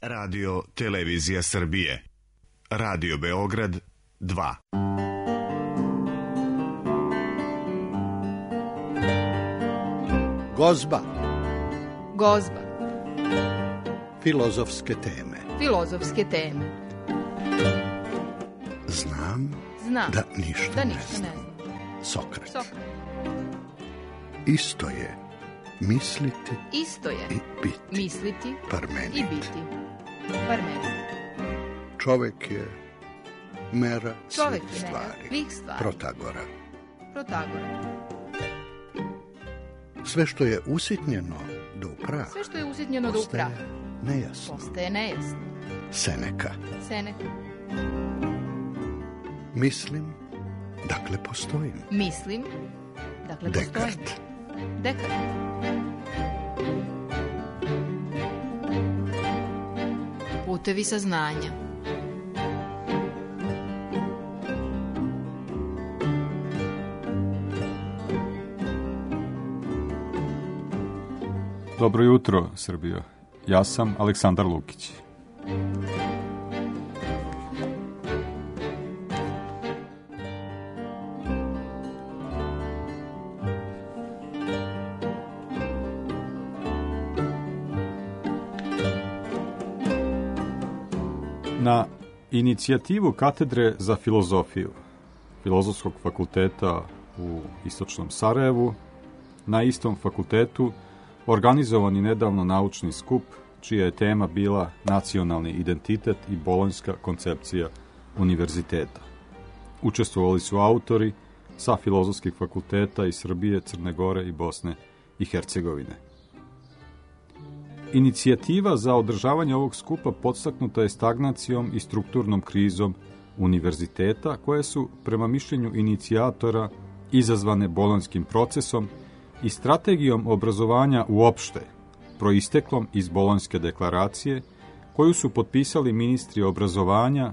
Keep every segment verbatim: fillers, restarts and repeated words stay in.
Radio Televizija Srbije. Radio Beograd dva. Gozba. Gozba. Filozofske teme. Filozofske teme. Znam, Znam da ništa, da ne, ništa znam. ne znam. Sokrat. Sokrat. Isto je misliti Isto je i biti. misliti Parmenid. i biti. Parmenid. Čovek je mera Čovek svih je mera stvari. svih stvari. Protagora. Protagora. Sve što je usitnjeno do prah Sve što je usitnjeno do postaje upraha nejasno. postaje nejasno. Seneka. Seneka. Mislim, dakle postojim. Mislim, dakle postojim. Dekart. Dekart. Putevi saznanja. Dobro jutro, Srbijo. Ja sam Aleksandar Lukić. Na inicijativu Katedre za filozofiju Filozofskog fakulteta u Istočnom Sarajevu, na istom fakultetu organizovan je nedavno naučni skup čija je tema bila nacionalni identitet i bolonjska koncepcija univerziteta. Učestvovali su autori sa filozofskih fakulteta iz Srbije, Crne Gore i Bosne i Hercegovine. Inicijativa za održavanje ovog skupa podstaknuta je stagnacijom i strukturnom krizom univerziteta, koje su, prema mišljenju inicijatora, izazvane bolonjskim procesom i strategijom obrazovanja uopšte, proisteklom iz Bolonjske deklaracije, koju su potpisali ministri obrazovanja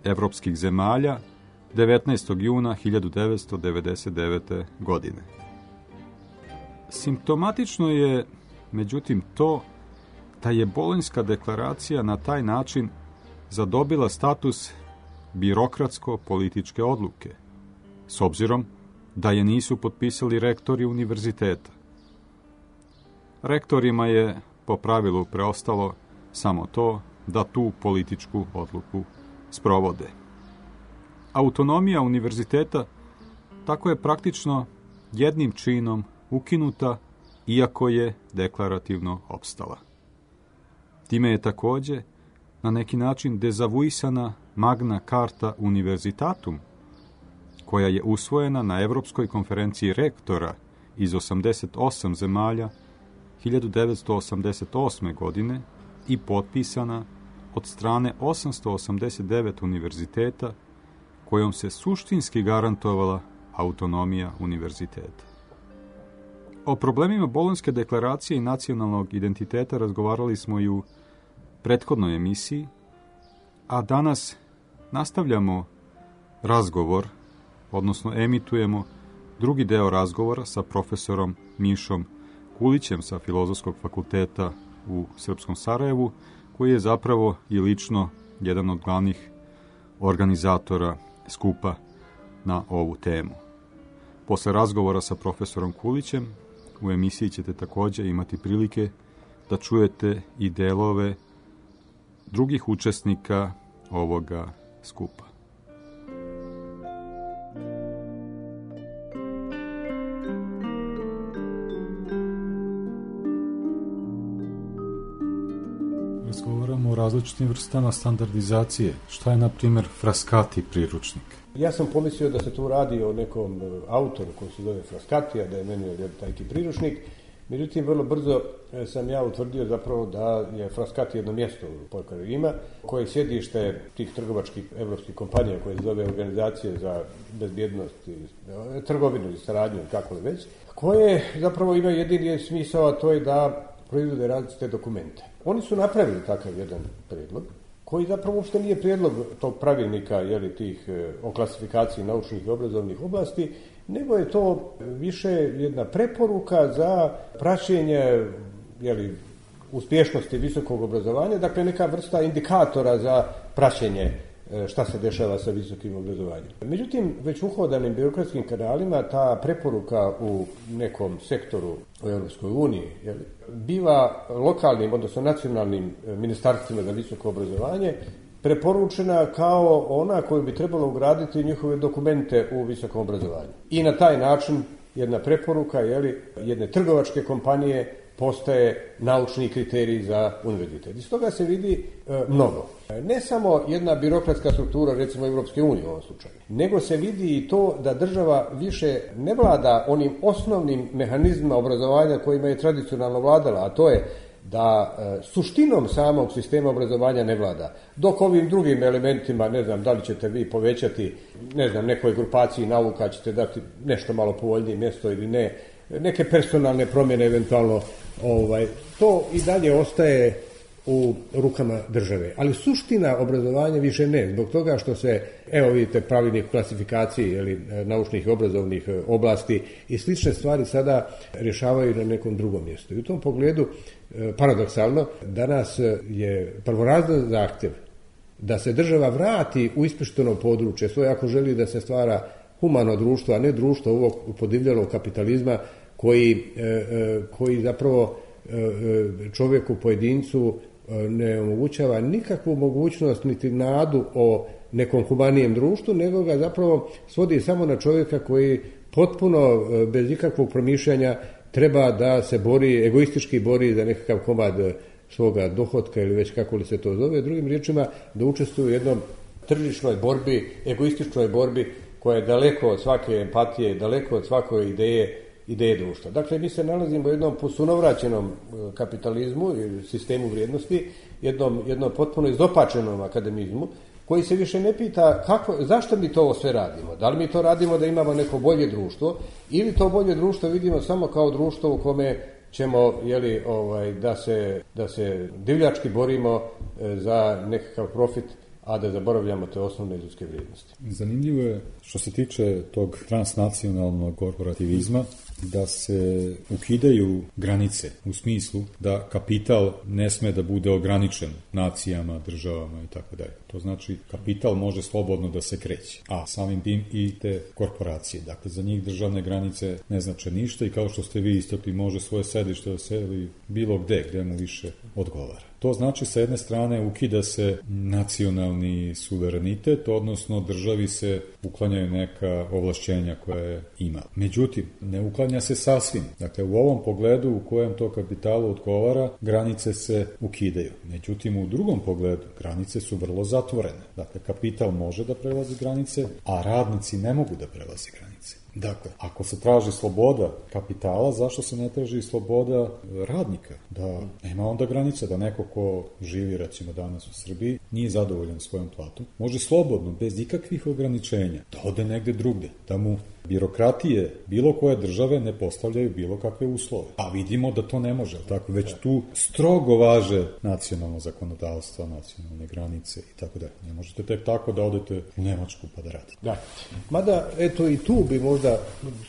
evropskih zemalja devetnaestog juna hiljadu devetsto devedeset devete. godine. Simptomatično je, međutim, to da je Bolonjska deklaracija na taj način zadobila status birokratsko-političke odluke, s obzirom da je nisu potpisali rektori univerziteta. Rektorima je po pravilu preostalo samo to da tu političku odluku sprovode. Autonomija univerziteta tako je praktično jednim činom ukinuta, iako je deklarativno opstala. Time je također na neki način dezavuisana Magna Carta Universitatum, koja je usvojena na Evropskoj konferenciji rektora iz osamdeset osam zemalja hiljadu devetsto osamdeset osme. godine i potpisana od strane osamsto osamdeset devet univerziteta, kojom se suštinski garantovala autonomija univerziteta. O problemima Bolonjske deklaracije i nacionalnog identiteta razgovarali smo i u prethodnoj emisiji, a danas nastavljamo razgovor, odnosno emitujemo drugi deo razgovora sa profesorom Mišom Kulićem sa Filozofskog fakulteta u Srpskom Sarajevu, koji je zapravo i lično jedan od glavnih organizatora skupa na ovu temu. Posle razgovora sa profesorom Kulićem u emisiji ćete također imati prilike da čujete i delove drugih učesnika ovoga skupa. Razgovaramo o različitim vrstama standardizacije. Šta je, na primjer, Frascati priručnik? Ja sam pomislio da se tu radi o nekom autoru koji se zove Frascati, a da je meni tajki priručnik. Međutim, vrlo brzo sam ja utvrdio zapravo da je Frascati jedno mjesto u pokrajini Rima, koje je sjedište tih trgovačkih evropskih kompanija koje se zove Organizacije za bezbjednost i trgovinu i saradnju, kako li već, koje zapravo imaju jedini smisao, a to je da proizvode različite dokumente. Oni su napravili takav jedan prijedlog, koji zapravo uopšte nije prijedlog tog pravilnika, jeli, tih o klasifikaciji naučnih i obrazovnih oblasti, nego je to više jedna preporuka za praćenje, jeli, uspješnosti visokog obrazovanja, dakle neka vrsta indikatora za praćenje šta se dešava sa visokim obrazovanjem. Međutim, već uhodanim birokratskim kanalima ta preporuka u nekom sektoru u Europskoj uniji biva lokalnim, odnosno nacionalnim ministarstvima za visoko obrazovanje preporučena kao ona koju bi trebalo ugraditi njihove dokumente u visokom obrazovanju. I na taj način jedna preporuka jeli, jedne trgovačke kompanije postaje naučni kriterij za univerzitet. Iz toga se vidi e, mnogo. Ne samo jedna birokratska struktura, recimo Europske unije u ovom slučaju, nego se vidi i to da država više ne vlada onim osnovnim mehanizmima obrazovanja kojima je tradicionalno vladala, a to je da e, suštinom samog sistema obrazovanja ne vlada. Dok ovim drugim elementima, ne znam, da li ćete vi povećati, ne znam, nekoj grupaciji nauka, ćete dati nešto malo povoljnije mjesto ili ne, neke personalne promjene eventualno, ovaj, to i dalje ostaje u rukama države. Ali suština obrazovanja više ne, zbog toga što se, evo vidite, pravilnik klasifikaciji ili naučnih i obrazovnih oblasti i slične stvari sada rješavaju na nekom drugom mjestu. I u tom pogledu, paradoksalno, danas je prvorazredan zahtjev da se država vrati u ispušteno područje svoje ako želi da se stvara humano društvo, a ne društvo ovog podivljalog kapitalizma koji, koji zapravo čovjeku, pojedincu ne omogućava nikakvu mogućnost niti nadu o nekom humanijem društvu, nego ga zapravo svodi samo na čovjeka koji potpuno bez ikakvog promišljanja treba da se bori, egoistički bori za nekakav komad svoga dohotka ili već kako li se to zove. Drugim riječima, da učestvuje u jednom tržišnoj borbi, egoističnoj borbi koja je daleko od svake empatije, daleko od svake ideje, ideje društva. Dakle, mi se nalazimo u jednom posunovraćenom kapitalizmu ili sistemu vrijednosti, jednom, jednom potpuno izopačenom akademizmu, koji se više ne pita kako, zašto mi to sve radimo. Da li mi to radimo da imamo neko bolje društvo ili to bolje društvo vidimo samo kao društvo u kome ćemo jeli, ovaj, da, se, da se divljački borimo za nekakav profit, a da zaboravljamo te osnovne ljudske vrijednosti. Zanimljivo je što se tiče tog transnacionalnog korporativizma da se ukidaju granice u smislu da kapital ne sme da bude ograničen nacijama, državama i tako dalje. To znači kapital može slobodno da se kreće, a samim tim i te korporacije. Dakle, za njih državne granice ne znače ništa i kao što ste vi istakli, može svoje sedište da seli bilo gde, gde mu više odgovara. To znači, sa jedne strane, ukida se nacionalni suverenitet, odnosno državi se uklanjaju neka ovlašćenja koje ima. Međutim, ne uklanja se sasvim. Dakle, u ovom pogledu u kojem to kapitalu odgovara, granice se ukidaju. Međutim, u drugom pogledu, granice su vrlo zatvorene. Dakle, kapital može da prelazi granice, a radnici ne mogu da prelazi granice. Dakle, ako se traži sloboda kapitala, zašto se ne traži sloboda radnika? Da nema onda granice, da neko ko živi, recimo danas u Srbiji, nije zadovoljan svojom platom, može slobodno, bez ikakvih ograničenja, da ode negde drugde, da mu birokratije bilo koje države ne postavljaju bilo kakve uslove. A vidimo da to ne može, tako već tu strogo važe nacionalno zakonodavstvo, nacionalne granice i tako da. Ne možete tek tako da odete u Nemačku pa da radite. Da. Mada, eto i tu bi možda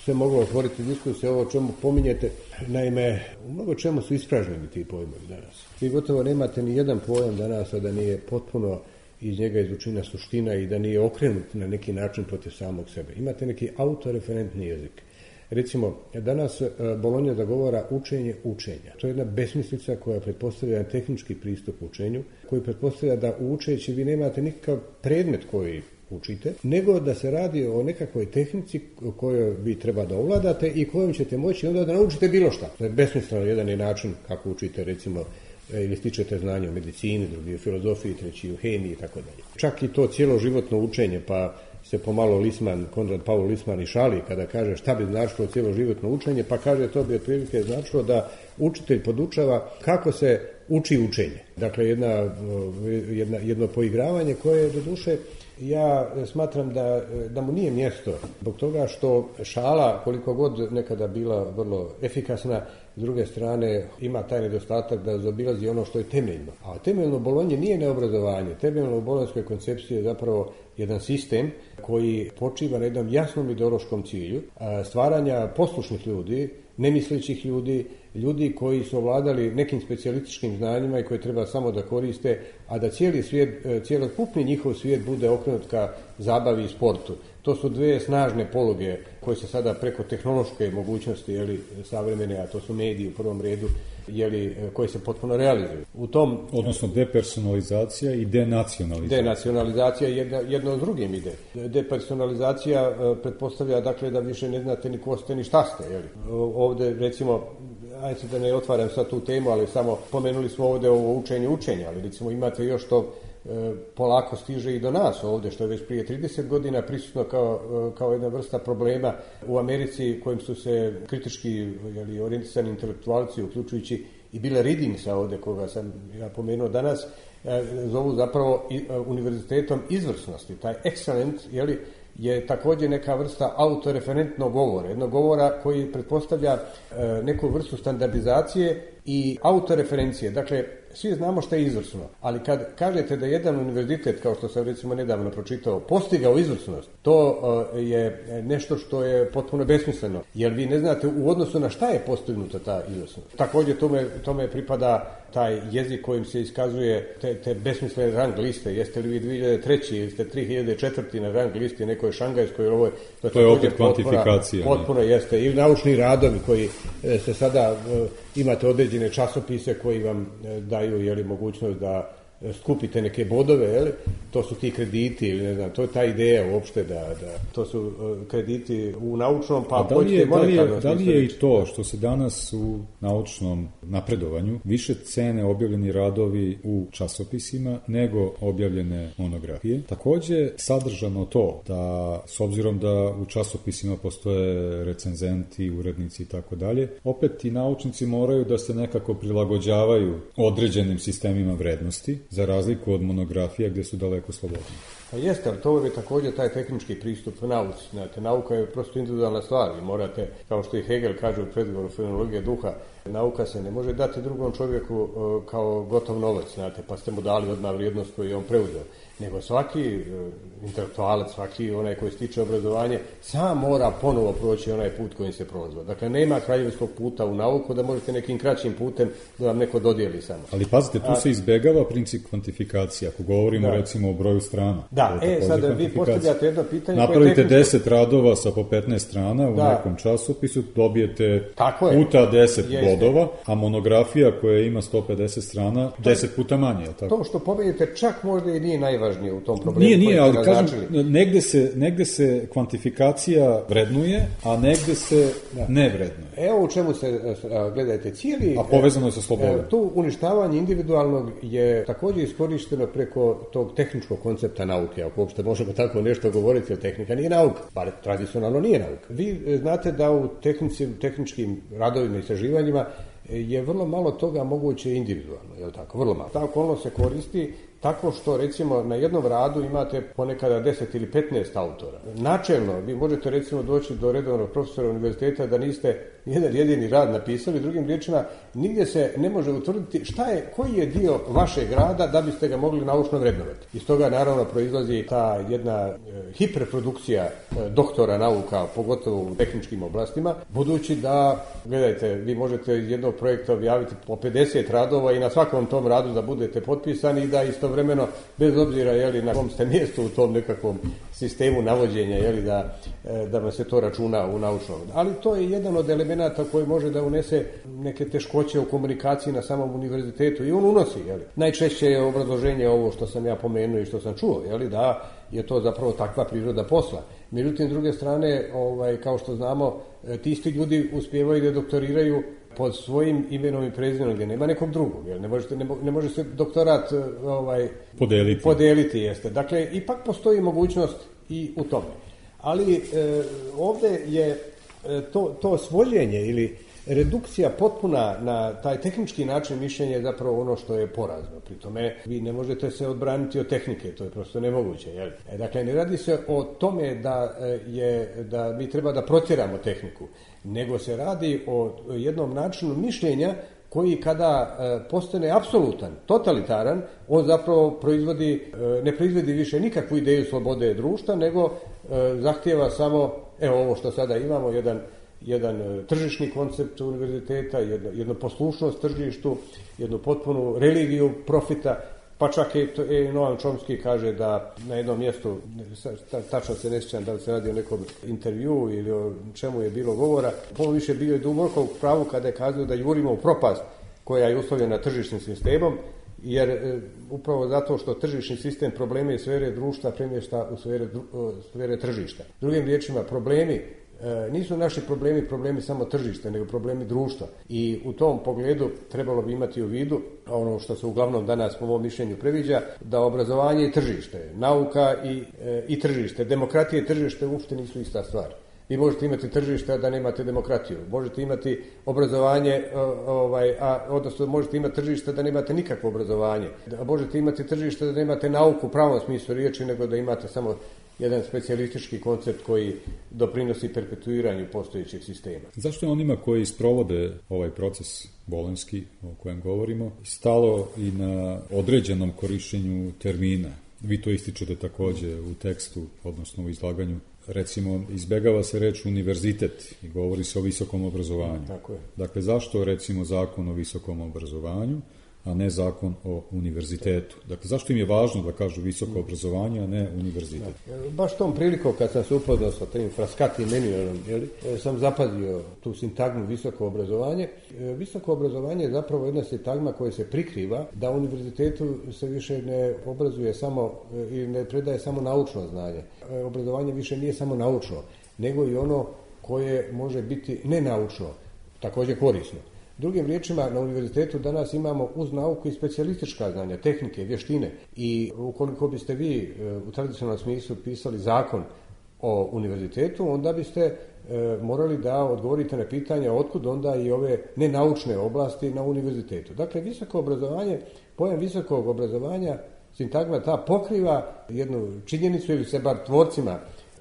se moglo otvoriti diskusije ovo o čemu pominjete. Naime, u mnogo čemu su ispražnjeni ti pojmovi danas. Vi gotovo nemate ni jedan pojam danas, a da nije potpuno iz njega izučena suština i da nije okrenut na neki način protiv samog sebe. Imate neki autoreferentni jezik. Recimo, danas Bolonja zagovara učenje učenja. To je jedna besmislica koja pretpostavlja tehnički pristup učenju, koji pretpostavlja da u učeći vi nemate nikakav predmet koji učite, nego da se radi o nekakvoj tehnici kojoj vi treba da ovladate i kojom ćete moći onda da naučite bilo šta. To je besmisleno, jedan je način kako učite, recimo, ili stičete znanje o medicini, drugi o filozofiji, treći o hemiji i tako dalje. Čak i to cjeloživotno učenje, pa se pomalo Lisman, Konrad Paul Lisman i šali kada kaže šta bi značilo cjeloživotno učenje, pa kaže to bi otprilike značilo da učitelj podučava kako se uči učenje. Dakle, jedna, jedna, jedno poigravanje koje do duše ja smatram da, da mu nije mjesto zbog toga što šala, koliko god nekada bila vrlo efikasna, s druge strane ima taj nedostatak da zaobilazi ono što je temeljno. A temeljno u Bolonji nije neobrazovanje. Temeljno u bolonjskoj koncepciji je zapravo jedan sistem koji počiva na jednom jasnom ideološkom cilju stvaranja poslušnih ljudi, nemislećih ljudi, ljudi koji su ovladali nekim specijalističkim znanjima i koje treba samo da koriste, a da cijeli svijet, cijelokupni njihov svijet bude okrenut ka zabavi i sportu. To su dve snažne poluge koje se sada preko tehnološke mogućnosti, jeli, savremene, a to su mediji u prvom redu, jeli, koje se potpuno realizuju. U tom, odnosno depersonalizacija i denacionalizacija. Denacionalizacija jedna, jedno od drugim ide. Depersonalizacija uh, pretpostavlja dakle da više ne znate ni ko ste ni šta ste. Jeli. Ovde recimo, ajde da ne otvaram sad tu temu, ali samo pomenuli smo ovde ovo učenje učenja, ali recimo imate još to polako stiže i do nas ovdje, što je već prije trideset godina prisutno kao, kao jedna vrsta problema u Americi kojim su se kritički jeli, orijentisani intelektualci, uključujući i Billa Readingsa ovdje, koga sam ja pomenuo danas, zovu zapravo univerzitetom izvrsnosti. Taj excellent, jeli, je također neka vrsta autoreferentnog govora, jednog govora koji pretpostavlja neku vrstu standardizacije i autoreferencije. Dakle, svi znamo što je izvrsno, ali kad kažete da jedan univerzitet, kao što sam recimo nedavno pročitao, postigao izvrsnost, to je nešto što je potpuno besmisleno, jer vi ne znate u odnosu na šta je postignuta ta izvrsnost. Također tome, tome pripada taj jezik kojim se iskazuje te, te besmislene rang liste. Jeste li vi dvije hiljade treće ili ste tri hiljade četvrte na rang listi nekoj šangajskoj, ovo je, to, to je opet kvantifikacija. Potpuno jeste. Ili naučni radovi koji se sada imate određene časopise koji vam daju jeli, mogućnost da skupite neke bodove, jeli? To su ti krediti ili ne znam, to je ta ideja uopšte da, da to su krediti u naučnom, pa da li je, da li je, da li je i to što se danas u naučnom napredovanju više cene objavljeni radovi u časopisima nego objavljene monografije. Također sadržano to da s obzirom da u časopisima postoje recenzenti, urednici i tako dalje, opet i naučnici moraju da se nekako prilagođavaju određenim sistemima vrednosti, za razliku od monografija gdje su daleko slobodni. Pa jeste, ali to je također taj tehnički pristup nauci. Znate, nauka je prosto individualna stvar i morate, kao što i Hegel kaže u predgovoru fenomenologije duha, nauka se ne može dati drugom čovjeku uh, kao gotov novac, znate, pa ste mu dali odmah vrijednost koju je on preuzeo. Nego svaki uh, intelektualac, svaki onaj koji stiče obrazovanje, sam mora ponovo proći onaj put kojim se prolazio. Dakle, nema kraljevskog puta u nauku da možete nekim kraćim putem da vam neko dodijeli samo. Ali pazite, tu A, se izbegava princip kvantifikacije, ako govorimo da. recimo o broju strana. Da, e, sada vi postavljate jedno pitanje. Napravite tehničko... deset radova sa po petnaest strana u da. nekom časopisu, dobijete puta deset bodova, a monografija koja ima sto pedeset strana, deset puta manje, je li tako? To što pomenite čak možda i nije najvažnije u tom problemu. Nije, nije, ali kažem, negde se, negde se kvantifikacija vrednuje, a negde se da. ne vrednuje. Evo u čemu se, gledajte, cijeli... A povezano je sa slobodom. Tu uništavanje individualnog je također iskorišteno preko tog tehničkog koncepta nauke, ako uopšte možemo tako nešto govoriti, jer tehnika nije nauka, bar tradicionalno nije nauka. Vi znate da u tehnici, tehničkim radovima i istraživanjima je vrlo malo toga moguće individualno, je li tako? Vrlo malo. Ta okolnost se koristi tako što, recimo, na jednom radu imate ponekada deset ili petnaest autora. Načelno, vi možete, recimo, doći do redovnog profesora univerziteta da niste jedan jedini rad napisali, drugim riječima, nigdje se ne može utvrditi šta je, koji je dio vašeg rada da biste ga mogli naučno vrednovati. Iz toga, naravno, proizlazi ta jedna e, hiperprodukcija e, doktora nauka, pogotovo u tehničkim oblastima, budući da, gledajte, vi možete iz jednog projekta objaviti po pedeset radova i na svakom tom radu da budete potpisani i da istovremeno, bez obzira jeli, na kom ste mjestu u tom nekakvom sistemu navođenja, jeli, da, da vam se to računa u naučnom. Ali to je jedan od elemenata koji može da unese neke teškoće u komunikaciji na samom univerzitetu i on unosi. Jeli. Najčešće je obrazloženje ovo što sam ja pomenuo i što sam čuo, jeli, da je to zapravo takva priroda posla. Međutim, s druge strane, ovaj, kao što znamo, ti isti ljudi uspijevaju da doktoriraju pod svojim imenom i prezimenom, gdje nema nekog drugog, jer ne, možete, ne, ne može se doktorat ovaj, podeliti. podeliti jeste. Dakle, ipak postoji mogućnost i u tome. Ali e, ovdje je e, to, to svođenje ili redukcija potpuna na taj tehnički način mišljenja je zapravo ono što je porazno. Pri tome vi ne možete se odbraniti od tehnike, to je prosto nemoguće. Jel? E, dakle, ne radi se o tome da, je, da mi treba da protjeramo tehniku, nego se radi o jednom načinu mišljenja koji kada e, postane apsolutan, totalitaran, on zapravo proizvodi, e, ne proizvodi više nikakvu ideju slobode društva, nego e, zahtijeva samo, evo ovo što sada imamo, jedan jedan tržišni koncept univerziteta, jedno, jednu poslušnost tržištu, jednu potpunu religiju profita, pa čak i Noam Chomsky kaže da na jednom mjestu, tačno se ne sjećam da li se radi o nekom intervju ili o čemu je bilo govora, puno više bio je duboko u pravu kada je kazao da jurimo u propast koja je uslovljena tržišnim sistemom, jer e, upravo zato što tržišni sistem probleme i sfere društva premješta u sfere, u sfere tržišta. Drugim riječima, problemi e, nisu naši problemi problemi samo tržišta, nego problemi društva. I u tom pogledu trebalo bi imati u vidu ono što se uglavnom danas po mom mišljenju previđa, da obrazovanje i tržište, nauka i, e, i tržište, demokratija i tržište uopšte nisu ista stvar. Vi možete imati tržište, a da nemate demokratiju. Možete imati obrazovanje, ovaj, a, odnosno možete imati tržište da nemate nikakvo obrazovanje. A možete imati tržište da nemate nauku u pravom smislu riječi, nego da imate samo jedan specijalistički koncept koji doprinosi perpetuiranju postojećeg sistema. Zašto je onima koji sprovode ovaj proces bolonjski o kojem govorimo stalo i na određenom korištenju termina? Vi to ističete također u tekstu, odnosno u izlaganju. Recimo, izbjegava se reč univerzitet i govori se o visokom obrazovanju. Tako je. Dakle, zašto recimo zakon o visokom obrazovanju, a ne zakon o univerzitetu? Dakle, zašto im je važno da kažu visoko obrazovanje, a ne univerzitet? Da. Baš tom prilikom kad sam se upoznao sa tim Frascati menijom, sam zapazio tu sintagmu visoko obrazovanje. Visoko obrazovanje je zapravo jedna sintagma koja se prikriva da u univerzitetu se više ne obrazuje samo i ne predaje samo naučno znanje. Obrazovanje više nije samo naučno, nego i ono koje može biti nenaučno, također korisno. Drugim riječima, na univerzitetu danas imamo uz nauku i specijalistička znanja, tehnike, vještine i ukoliko biste vi u tradicionalnom smislu pisali zakon o univerzitetu, onda biste e, morali da odgovorite na pitanje otkud onda i ove nenaučne oblasti na univerzitetu. Dakle, visoko obrazovanje, pojam visokog obrazovanja, sintagma ta pokriva jednu činjenicu ili se bar tvorcima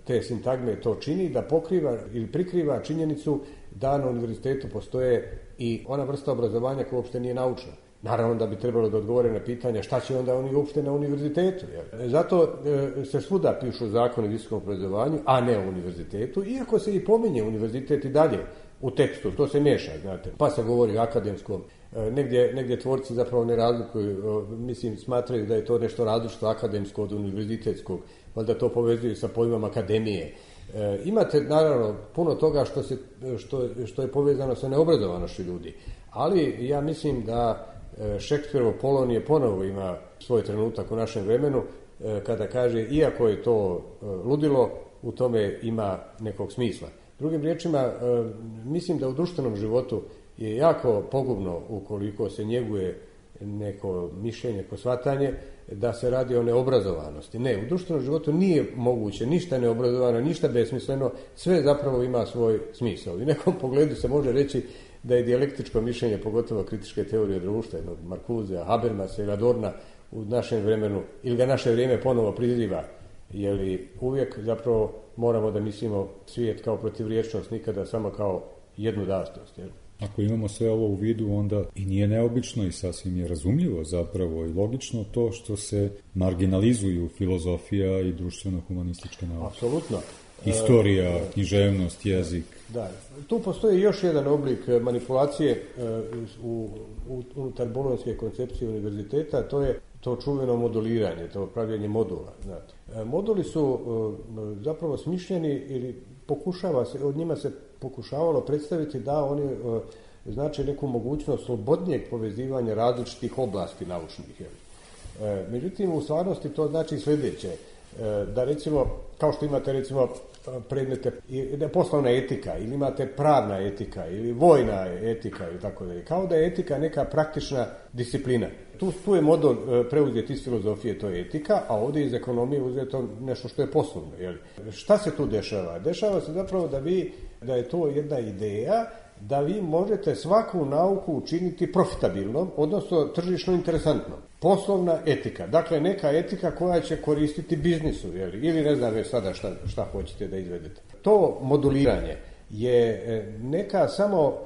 te sintagme to čini, da pokriva ili prikriva činjenicu da na univerzitetu postoje i ona vrsta obrazovanja koja uopšte nije naučna. Naravno da bi trebalo da odgovore na pitanja šta će onda oni uopšte na univerzitetu. Jer? Zato e, se svuda pišu zakoni o visokom obrazovanju, a ne o univerzitetu, iako se i pominje univerzitet i dalje u tekstu, to se miješa, znate. Pa se govori o akademskom, e, negdje, negdje tvorci zapravo ne razlikuju, e, mislim smatraju da je to nešto različito akademsko od univerzitetskog, valjda to povezuju sa pojmom akademije. E, imate naravno puno toga što, se, što, što je povezano sa neobrazovanošću ljudi, ali ja mislim da e, Šekspirovo Polonije ponovo ima svoj trenutak u našem vremenu e, kada kaže iako je to e, ludilo, u tome ima nekog smisla. Drugim riječima, e, mislim da u društvenom životu je jako pogubno ukoliko se njeguje neko mišljenje, neko shvatanje da se radi o neobrazovanosti. Ne, u društvenom životu nije moguće ništa neobrazovano, ništa besmisleno, sve zapravo ima svoj smisao. I u nekom pogledu se može reći da je dijalektičko mišljenje, pogotovo kritičke teorije društva, jednog Markuzea, Habermasa ili Adorna u našem vremenu, ili ga naše vrijeme ponovo priziva, jer uvijek zapravo moramo da mislimo svijet kao protivriječnost, nikada samo kao jednu dastost. Jel? Ako imamo sve ovo u vidu, onda i nije neobično i sasvim je razumljivo zapravo i logično to što se marginalizuju filozofija i društveno-humanističke nauke. Apsolutno. Historija, e, književnost, jezik. Da, tu postoji još jedan oblik manipulacije u, u, unutar bolonjske koncepcije univerziteta, to je to čuveno moduliranje, to pravljenje modula. Znate. Moduli su zapravo smišljeni ili pokušava se, od njima se pokušavalo predstaviti da oni znači neku mogućnost slobodnijeg povezivanja različitih oblasti naučnih. Međutim, u stvarnosti to znači sljedeće, da recimo, kao što imate recimo predmete, poslovna etika, ili imate pravna etika, ili vojna etika, ili tako dalje, kao da je etika neka praktična disciplina. Tu, tu je model preuzeti iz filozofije, to je etika, a ovdje iz ekonomije uzeto nešto što je poslovno. Jel? Šta se tu dešava? Dešava se zapravo da vi, da je to jedna ideja da vi možete svaku nauku učiniti profitabilnom, odnosno tržišno interesantnom. Poslovna etika, dakle neka etika koja će koristiti biznisu, jel? Ili ne znam već sada šta, šta hoćete da izvedete. To moduliranje je neka samo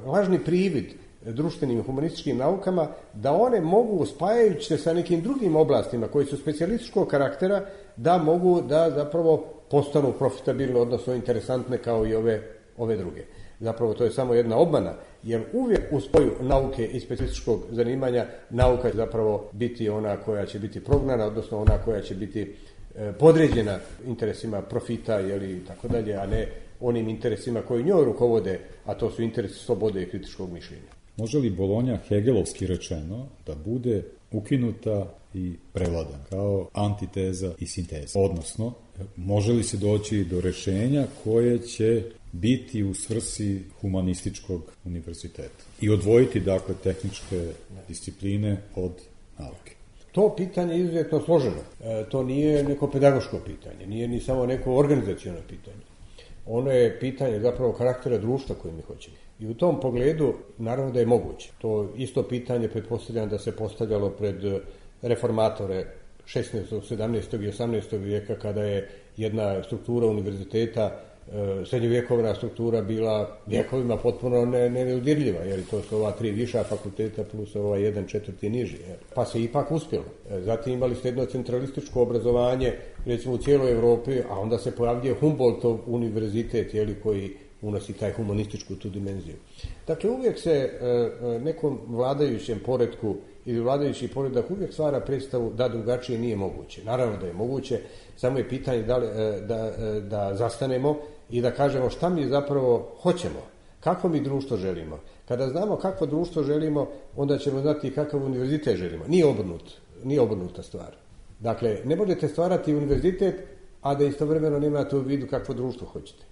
lažni privid društvenim i humanističkim naukama da one mogu, spajajući se sa nekim drugim oblastima koji su specijalističkog karaktera, da mogu da zapravo postanu profitabilne, odnosno interesantne kao i ove, ove druge. Zapravo to je samo jedna obmana, jer uvijek u spoju nauke i specifičkog zanimanja nauka će zapravo biti ona koja će biti prognana, odnosno ona koja će biti podređena interesima profita ili tako dalje, a ne onim interesima koji njoj rukovode, a to su interesi slobode i kritičkog mišljenja. Može li Bolonja, hegelovski rečeno, da bude ukinuta i prevladana kao antiteza i sinteza? Odnosno, može li se doći do rješenja koje će biti u svrsi humanističkog univerziteta i odvojiti, dakle, tehničke discipline od nauke? To pitanje je izuzetno složeno. E, to nije neko pedagoško pitanje, nije ni samo neko organizaciono pitanje. Ono je pitanje zapravo karaktera društva koje mi hoćemo. I u tom pogledu, naravno da je moguće. To isto pitanje pretpostavljam da se postavljalo pred reformatore šesnaestog, sedamnaestog i osamnaestog vijeka, kada je jedna struktura univerziteta, srednjovjekovna struktura, bila vjekovima potpuno ne, nedodirljiva, jer to su ova tri viša fakulteta plus ova jedan četvrti niži. Jer. Pa se ipak uspjelo. Zatim imali ste jedno centralističko obrazovanje, recimo u cijeloj Europi, a onda se pojavljuje Humboldtov univerzitet, jeli, koji unosi taj humanističku tu dimenziju. Dakle, uvijek se e, nekom vladajućem poretku ili vladajući poredak uvijek stvara predstavu da drugačije nije moguće. Naravno da je moguće, samo je pitanje da, li, da, da zastanemo i da kažemo šta mi zapravo hoćemo, kako mi društvo želimo. Kada znamo kakvo društvo želimo, onda ćemo znati kakav univerzitet želimo. Nije obrnut, nije obrnuta stvar. Dakle, ne možete stvarati univerzitet, a da istovremeno nemate u vidu kakvo društvo hoćete.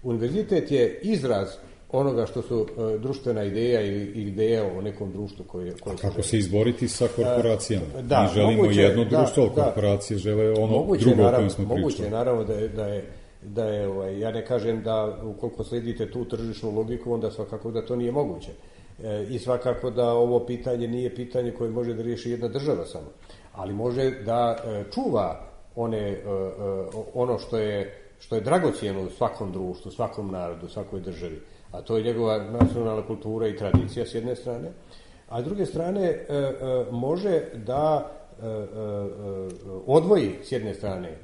Univerzitet je izraz onoga što su uh, društvena ideja ili ideja o nekom društvu koje... koje kako se izboriti sa korporacijama? Uh, da, Mi želimo moguće, jedno društvo, da, ali korporacije da, žele ono moguće, drugo naravno, o kojem smo pričali. Moguće je naravno da je, da je, da je ovaj, ja ne kažem da ukoliko sledite tu tržišnu logiku, onda svakako da to nije moguće. E, I svakako da ovo pitanje nije pitanje koje može da riješi jedna država samo. Ali može da e, čuva one, e, e, ono što je, što je dragocjeno u svakom društvu, svakom narodu, svakoj državi. A to je njegova nacionalna kultura i tradicija s jedne strane, a s druge strane e, e, može da e, e, odvoji s jedne strane e,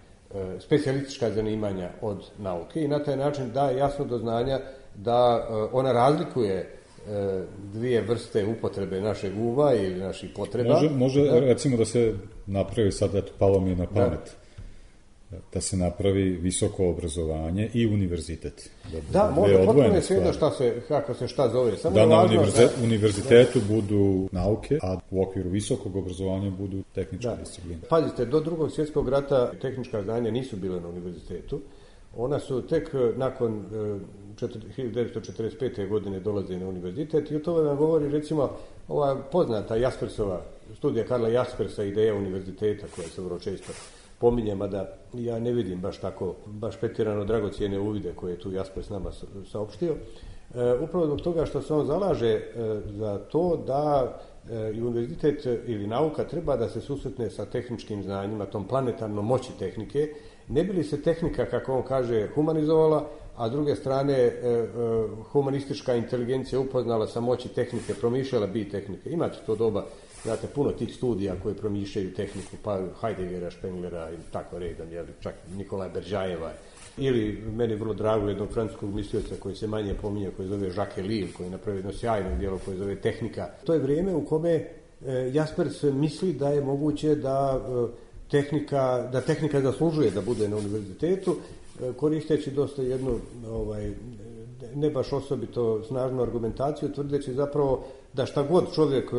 specijalistička zanimanja od nauke i na taj način da jasno do znanja da e, ona razlikuje e, dvije vrste upotrebe našeg uma ili naših potreba. Može, može da, recimo da se napravi, sad eto, palo mi je na pamet, da. da se napravi visoko obrazovanje i univerzitet. Da, da može, potpuno je svejedno šta se, kako se šta zove. Samo da je na važno, univerze, da, univerzitetu da. budu nauke, a u okviru visokog obrazovanja budu tehničke discipline. Pazite, do drugog svjetskog rata tehnička znanja nisu bile na univerzitetu. Ona su tek nakon hiljadu devetsto četrdeset pete. godine dolaze na univerzitet i o tome vam govori recimo ova poznata Jaspersova studija Karla Jaspersa, ideja univerziteta, koja se vrlo često pominje, mada ja ne vidim baš tako, baš pretjerano dragocjene uvide koje je tu Jaspers nama saopštio. E, upravo zbog toga što se on zalaže e, za to da e, i univerzitet ili nauka treba da se susretne sa tehničkim znanjima, tom planetarnom moći tehnike, ne bi li se tehnika, kako on kaže, humanizovala, a s druge strane e, e, humanistička inteligencija upoznala sa moći tehnike, promišljala bi tehnike. Imate to doba, znate, puno tih studija koje promišljaju tehniku, pa Heideggera, Spenglera i tako redom, jel, čak Nikolaja Beržajeva. Ili meni vrlo drago jednog francuskog mislioca koji se manje pominje, koji zove Jacques Ellul, koji je napravio jedno sjajno djelo koje zove Tehnika. To je vrijeme u kome e, Jaspers misli da je moguće da e, tehnika, da tehnika zaslužuje da bude na univerzitetu, e, koristeći dosta jednu ovaj, ne baš osobito snažnu argumentaciju, tvrdeći zapravo da šta god čovjek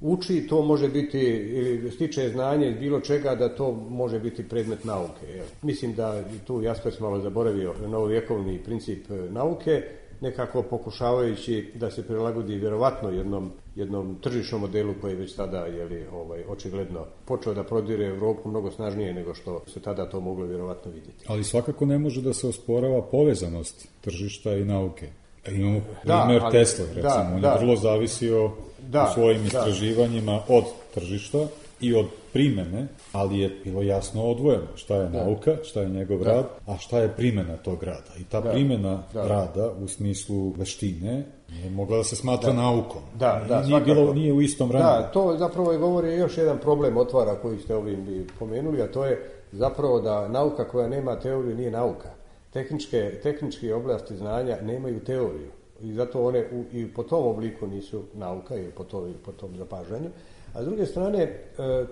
uči, to može biti, ili stiče znanje iz bilo čega, da to može biti predmet nauke. Jel? Mislim da tu Jaspers malo zaboravio novovjekovni princip nauke, nekako pokušavajući da se prilagodi vjerovatno jednom, jednom tržišnom modelu koji je već tada, jeli, ovaj, očigledno počeo da prodire Europu mnogo snažnije nego što se tada to moglo vjerovatno vidjeti. Ali svakako ne može da se osporava povezanost tržišta i nauke. Imamo primjer da, Tesla, recimo, da, on je da, vrlo zavisio da, u svojim istraživanjima da. od tržišta i od primjene, ali je bilo jasno odvojeno šta je da. nauka, šta je njegov da. rad, a šta je primjena tog rada. I ta da. primjena da. rada u smislu veštine nije mogla da se smatra da. naukom. Da, da, nije, bilo, nije u istom vremenu. Da, to zapravo je govori još jedan problem otvara koji ste ovim bi pomenuli, a to je zapravo da nauka koja nema teoriju nije nauka. tehničke, tehničke oblasti znanja nemaju teoriju i zato one u, i po tom obliku nisu nauka ili po, to, po tom zapažanju. A s druge strane,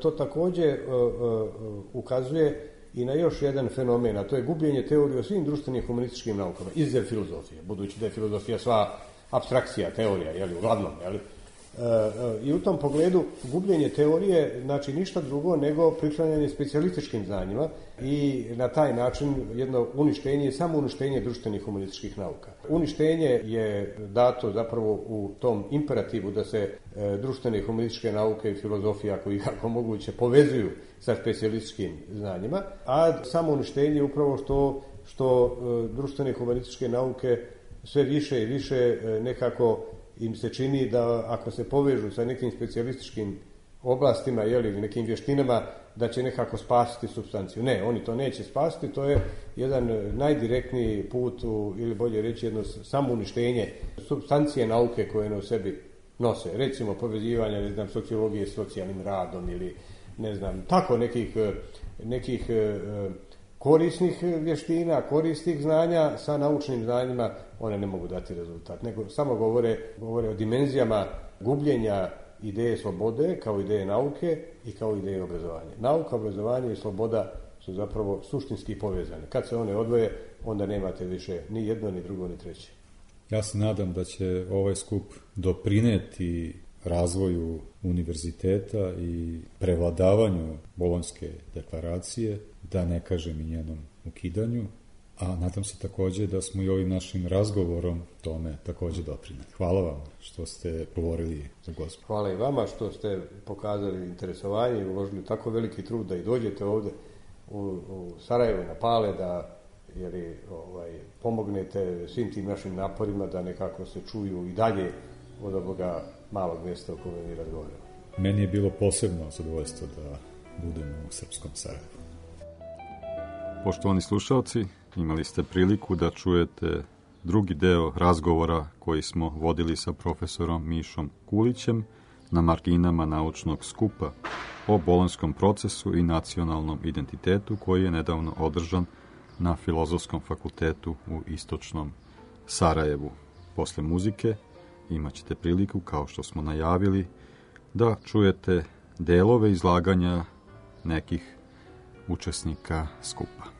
to također ukazuje i na još jedan fenomen, a to je gubljenje teorije o svim društvenim humanističkim naukama, izuzev filozofije, budući da je filozofija sva apstrakcija, teorija, jeli, uglavnom, jeli. I u tom pogledu gubljenje teorije znači ništa drugo nego priklanjanje specijalističkim znanjima i na taj način jedno uništenje, samo uništenje društvenih humanističkih nauka. Uništenje je dato zapravo u tom imperativu da se društvene humanističke nauke i filozofija, ako i kako moguće, povezuju sa specijalističkim znanjima, a samo uništenje je upravo što, što društvene humanističke nauke sve više i više nekako im se čini da ako se povežu sa nekim specijalističkim oblastima ili nekim vještinama, da će nekako spasiti supstanciju. Ne, oni to neće spasiti, to je jedan najdirektniji put u, ili bolje reći jedno samouništenje supstancije nauke koje ne u sebi nose. Recimo povezivanje, ne znam, sociologije s socijalnim radom ili ne znam, tako nekih, nekih korisnih vještina, korisnih znanja sa naučnim znanjima, one ne mogu dati rezultat. Nego samo govore, govore o dimenzijama gubljenja ideje slobode kao ideje nauke i kao ideje obrazovanja. Nauka, obrazovanje i sloboda su zapravo suštinski povezane. Kad se one odvoje, onda nemate više ni jedno, ni drugo, ni treće. Ja se nadam da će ovaj skup doprineti razvoju univerziteta i prevladavanju Bolonjske deklaracije, da ne kažem i njenom ukidanju, a nadam se također da smo i ovim našim razgovorom tome također doprineli. Hvala vam što ste govorili za Gospod. Hvala i vama što ste pokazali interesovanje i uložili tako veliki trud da i dođete ovdje u, u Sarajevo na Pale, da jeli, ovaj, pomognete svim tim našim naporima da nekako se čuju i dalje od ovoga malog mjesta o kome mi razgovaramo. Meni je bilo posebno zadovoljstvo da budem u srpskom Sarajevu. Poštovani slušalci, imali ste priliku da čujete drugi deo razgovora koji smo vodili sa profesorom Mišom Kulićem na marginama naučnog skupa o bolonjskom procesu i nacionalnom identitetu koji je nedavno održan na Filozofskom fakultetu u istočnom Sarajevu. Posle muzike imat ćete priliku, kao što smo najavili, da čujete delove izlaganja nekih učesnika skupa.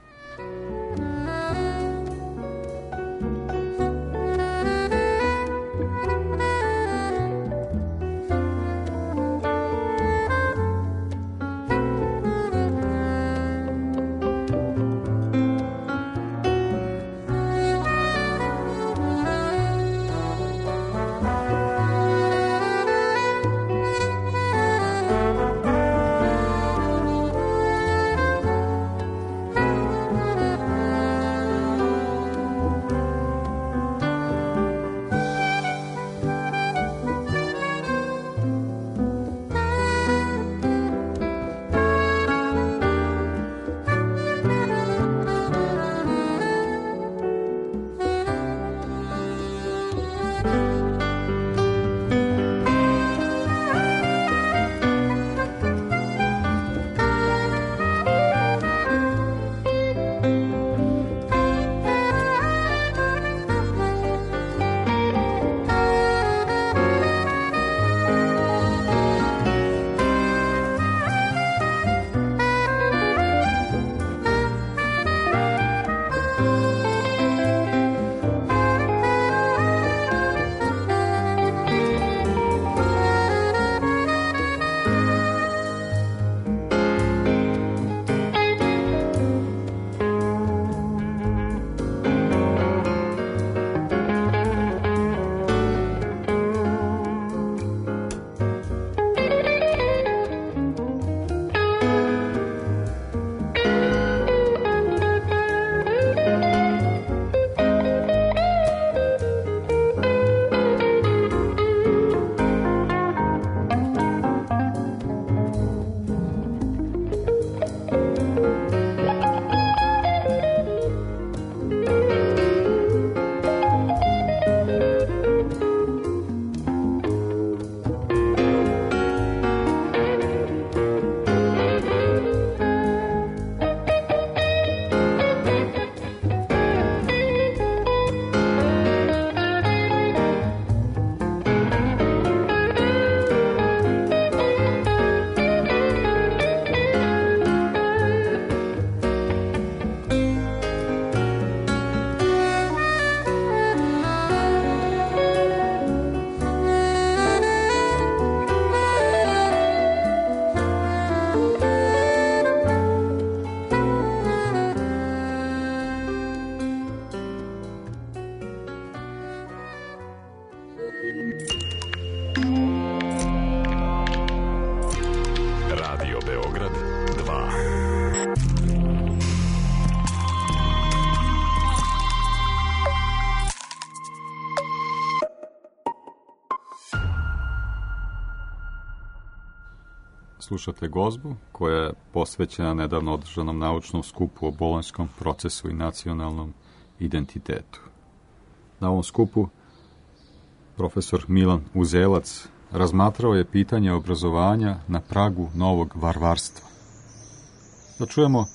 Beograd dva. Slušate Gozbu, koja je posvećena nedavno održanom naučnom skupu o bolonjskom procesu i nacionalnom identitetu. Na ovom skupu profesor Milan Uzelac razmatrao je pitanje obrazovanja na pragu novog varvarstva. Da čujemo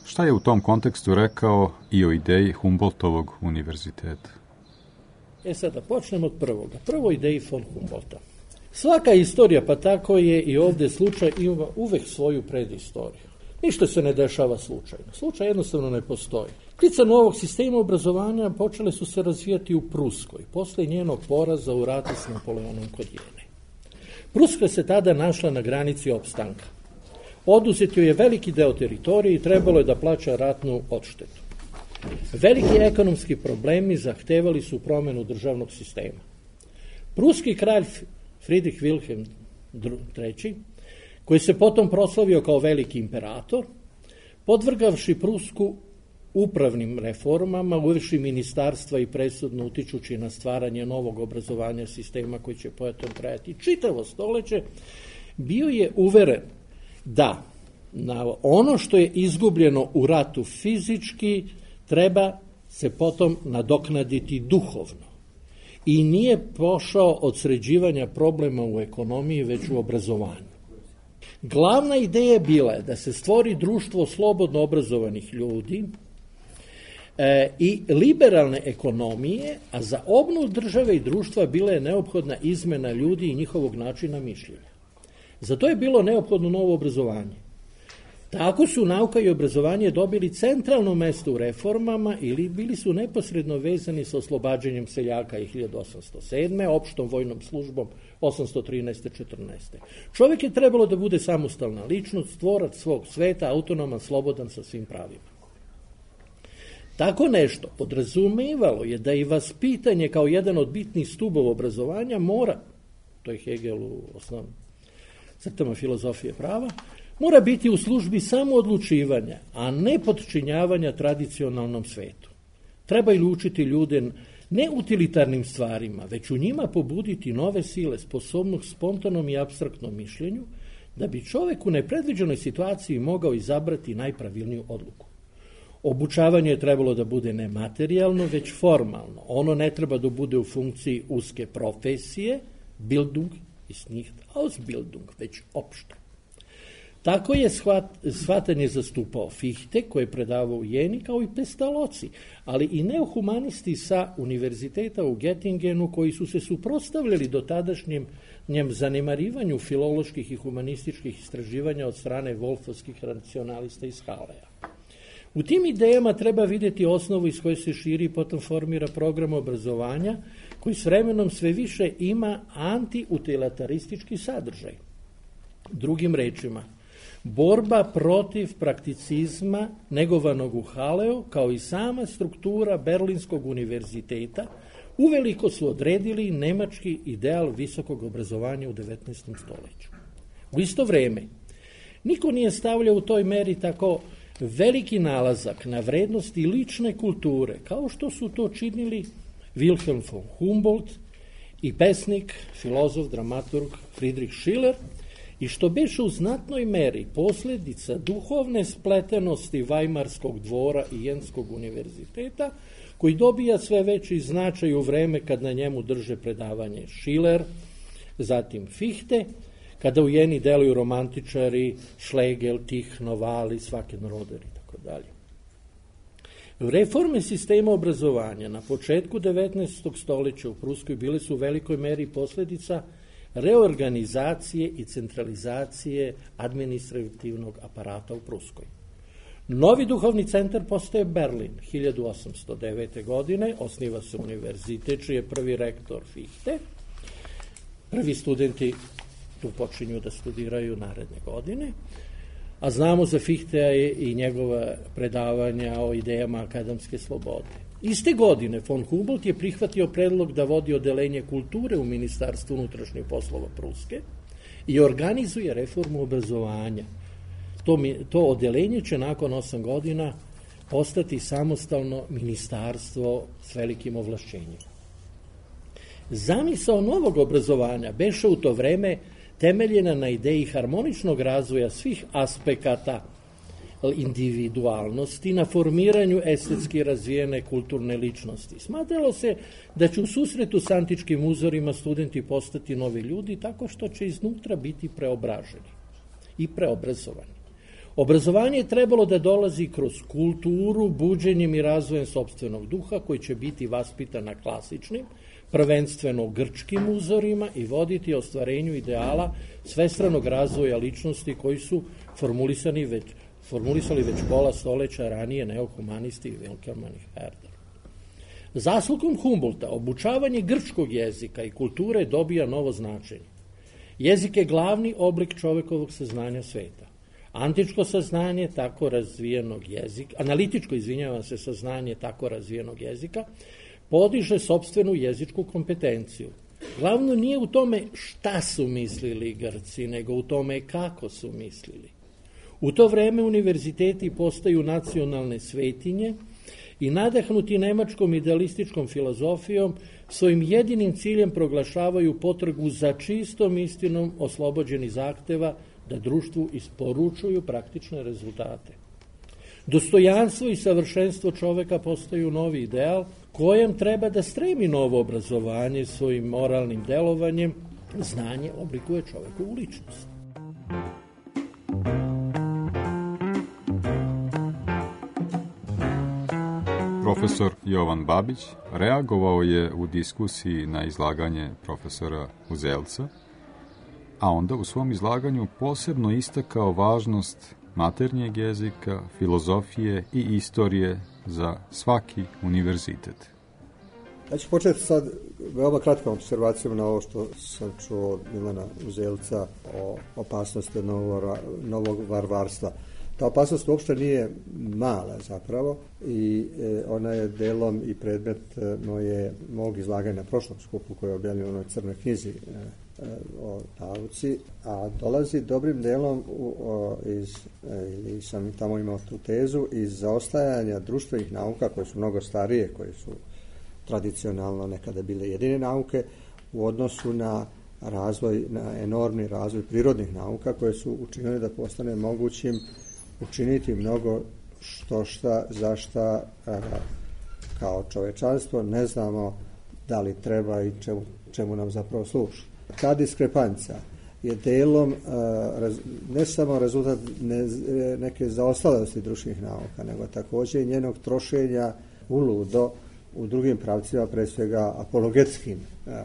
šta je u tom kontekstu rekao i o ideji Humboldtovog univerziteta. E sad da počnemo od prvoga. Prvo ideji von Humboldta. Svaka istorija, pa tako je i ovdje slučaj, ima uvek svoju predistoriju. Ništa se ne dešava slučajno. Slučaj jednostavno ne postoji. Klica novog sistema obrazovanja počele su se razvijati u Pruskoj, posle njenog poraza u ratu s Napoleonom kod Jene. Pruska se tada našla na granici opstanka. Oduzet joj je veliki deo teritorije i trebalo je da plaća ratnu odštetu. Veliki ekonomski problemi zahtevali su promenu državnog sistema. Pruski kralj Friedrich Wilhelm treći, koji se potom proslavio kao veliki imperator, podvrgavši Prusku upravnim reformama, uvešši ministarstva i presudno utičući na stvaranje novog obrazovanja sistema koji će potom trajati čitavo stoleće, bio je uveren da na ono što je izgubljeno u ratu fizički treba se potom nadoknaditi duhovno. I nije pošao od sređivanja problema u ekonomiji, već u obrazovanju. Glavna ideja bila je da se stvori društvo slobodno obrazovanih ljudi e, i liberalne ekonomije, a za obnovu države i društva bila je neophodna izmena ljudi i njihovog načina mišljenja. Zato je bilo neophodno novo obrazovanje. Tako su nauka i obrazovanje dobili centralno mesto u reformama ili bili su neposredno vezani sa oslobađanjem seljaka i hiljadu osamsto sedme. opštom vojnom službom osamsto trinaeste četrnaeste. Čovjek je trebalo da bude samostalna ličnost, tvorac svog sveta, autonoman, slobodan sa svim pravima. Tako nešto podrazumevalo je da i vaspitanje kao jedan od bitnih stubova obrazovanja mora, to je Hegel u osnovnim crtama filozofije prava, mora biti u službi samoodlučivanja, a ne podčinjavanja tradicionalnom svetu. Treba ili učiti ljude ne utilitarnim stvarima, već u njima pobuditi nove sile, sposobnog spontanom i apstraktnom mišljenju, da bi čovjek u nepredviđenoj situaciji mogao izabrati najpravilniju odluku. Obučavanje je trebalo da bude ne materijalno, već formalno. Ono ne treba da bude u funkciji uske profesije, Bildung ist nicht Ausbildung, već opšte. Tako je shvat, shvatanje zastupao Fichte, koji je predavao u Jeni, kao i Pestalozzi, ali i neohumanisti sa univerziteta u Göttingenu, koji su se suprotstavljali do tadašnjem njem zanemarivanju filoloških i humanističkih istraživanja od strane wolfovskih racionalista iz Halleja. U tim idejama treba vidjeti osnovu iz koje se širi i potom formira program obrazovanja, koji s vremenom sve više ima antiutilitaristički sadržaj. Drugim rečima, borba protiv prakticizma negovanog u Haleu, kao i sama struktura Berlinskog univerziteta, uveliko su odredili nemački ideal visokog obrazovanja u devetnaestom stoljeću. U isto vrijeme, niko nije stavljao u toj meri tako veliki nalazak na vrednosti lične kulture, kao što su to činili Wilhelm von Humboldt i pesnik, filozof, dramaturg Friedrich Schiller, i što beše u znatnoj meri posljedica duhovne spletenosti Vajmarskog dvora i Jenskog univerziteta, koji dobija sve veći značaj u vreme kad na njemu drže predavanje Schiller, zatim Fichte, kada u Jeni deluju romantičari Schlegel, Tich, Novali, Svakenroder i tako dalje. Reforme sistema obrazovanja na početku devetnaestog stoljeća u Pruskoj bile su u velikoj meri posljedica reorganizacije i centralizacije administrativnog aparata u Pruskoj. Novi duhovni centar postaje Berlin. hiljadu osamsto devete. godine osniva se univerzitet, čiji je prvi rektor Fichte. Prvi studenti tu počinju da studiraju naredne godine, a znamo za Fichtea i njegova predavanja o idejama akademske slobode. Iste godine von Humboldt je prihvatio predlog da vodi odelenje kulture u Ministarstvu unutrašnjih poslova Pruske i organizuje reformu obrazovanja, To, mi, to odeljenje će nakon osam godina postati samostalno ministarstvo s velikim ovlašćenjima. Zamisao novog obrazovanja beše u to vreme temeljena na ideji harmoničnog razvoja svih aspekata individualnosti, na formiranju estetski razvijene kulturne ličnosti. Smatralo se da će u susretu s antičkim uzorima studenti postati novi ljudi tako što će iznutra biti preobraženi i preobrazovani. Obrazovanje je trebalo da dolazi kroz kulturu, buđenjem i razvojem sopstvenog duha koji će biti vaspitan na klasičnim, prvenstveno grčkim uzorima i voditi ostvarenju ideala svestranog razvoja ličnosti koji su formulisani već, formulisali već pola stoleća ranije neohumanisti i Wilhelm i Herder. Zaslugom Humboldta obučavanje grčkog jezika i kulture dobija novo značenje. Jezik je glavni oblik čovekovog saznanja sveta. Antičko saznanje tako razvijenog jezika, analitičko, izvinjavam se, saznanje tako razvijenog jezika, podiže sopstvenu jezičku kompetenciju. Glavno nije u tome šta su mislili Grci, nego u tome kako su mislili. U to vreme univerziteti postaju nacionalne svetinje i nadahnuti nemačkom idealističkom filozofijom svojim jedinim ciljem proglašavaju potragu za čistom istinom oslobođeni zahteva da društvu isporučuju praktične rezultate. Dostojanstvo i savršenstvo čoveka postaju novi ideal kojem treba da stremi novo obrazovanje svojim moralnim delovanjem. Znanje oblikuje čovekovu ličnost. Profesor Jovan Babić reagovao je u diskusiji na izlaganje profesora Uzelca, a onda u svom izlaganju posebno istakao važnost maternjeg jezika, filozofije i istorije za svaki univerzitet. Ja ću početi sad veoma kratkom observacijom na ovo što sam čuo od Milana Uzelca o opasnosti novog, novog varvarstva. Ta opasnost uopšte nije mala zapravo i e, ona je delom i predmet e, moje, mog izlaganja na prošlom skupu koji je objavljeno u onoj crnoj knjizi e, e, o nauci, a dolazi dobrim delom u, o, iz, e, ili sam tamo imao tu tezu, iz zaostajanja društvenih nauka koje su mnogo starije, koje su tradicionalno nekada bile jedine nauke u odnosu na razvoj, na enormni razvoj prirodnih nauka koje su učinili da postane mogućim učiniti mnogo što šta, za šta a, kao čovečanstvo ne znamo da li treba i čemu, čemu nam zapravo služi. Ta diskrepanca je delom a, raz, ne samo rezultat ne, neke zaostalosti društvenih nauka, nego također i njenog trošenja uludo u drugim pravcima, pre svega apologetskim. A,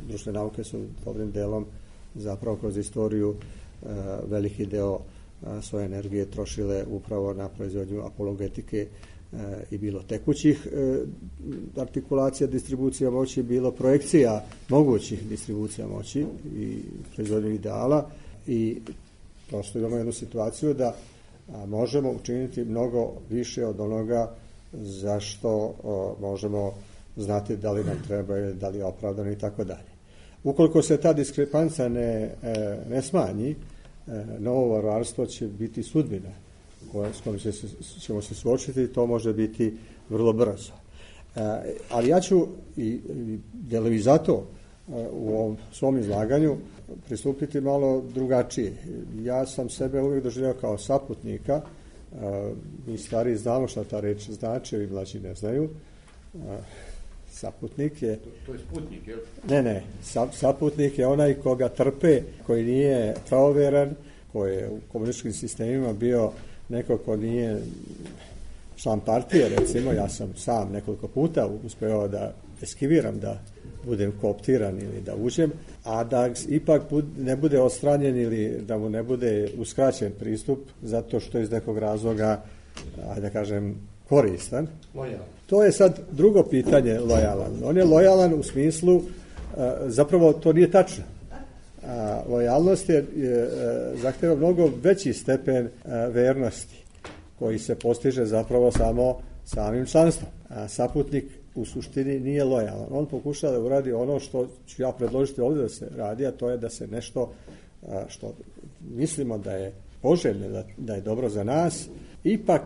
društvene nauke su dobrim delom zapravo kroz istoriju a, veliki deo svoje energije trošile upravo na proizvodnju apologetike e, i bilo tekućih e, artikulacija distribucija moći, bilo projekcija mogućih distribucija moći i proizvodnju ideala i prosto imamo jednu situaciju da a, možemo učiniti mnogo više od onoga za što o, možemo znati da li nam treba ili da li je opravdano i tako dalje. Ukoliko se ta diskrepanca ne, e, ne smanji, novo varvarstvo će biti sudbina s kojom se, ćemo se suočiti i to može biti vrlo brzo. E, ali ja ću i, i delovi zato e, u ovom svom izlaganju pristupiti malo drugačije. Ja sam sebe uvijek doživljao kao saputnika. E, mi stari znamo šta ta reč znači, ovi mlađi ne znaju. E, saputnik je... To, to je sputnik, je li? Ne, ne. Sap, saputnik je onaj koga trpe, koji nije pravoveran, koji je u komunističkim sistemima bio neko ko nije član partije, recimo. Ja sam sam nekoliko puta uspeo da eskiviram, da budem kooptiran ili da uđem, a da ipak ne bude odstranjen ili da mu ne bude uskraćen pristup zato što iz nekog razloga, ajde da kažem, koristan. Lojalan. To je sad drugo pitanje, lojalan. On je lojalan u smislu, zapravo to nije tačno. Lojalnost je, je zahteva mnogo veći stepen vernosti koji se postiže zapravo samo samim članstvom. A saputnik u suštini nije lojalan. On pokušava da uradi ono što ću ja predložiti ovdje da se radi, a to je da se nešto što mislimo da je poželjne, da, da je dobro za nas, ipak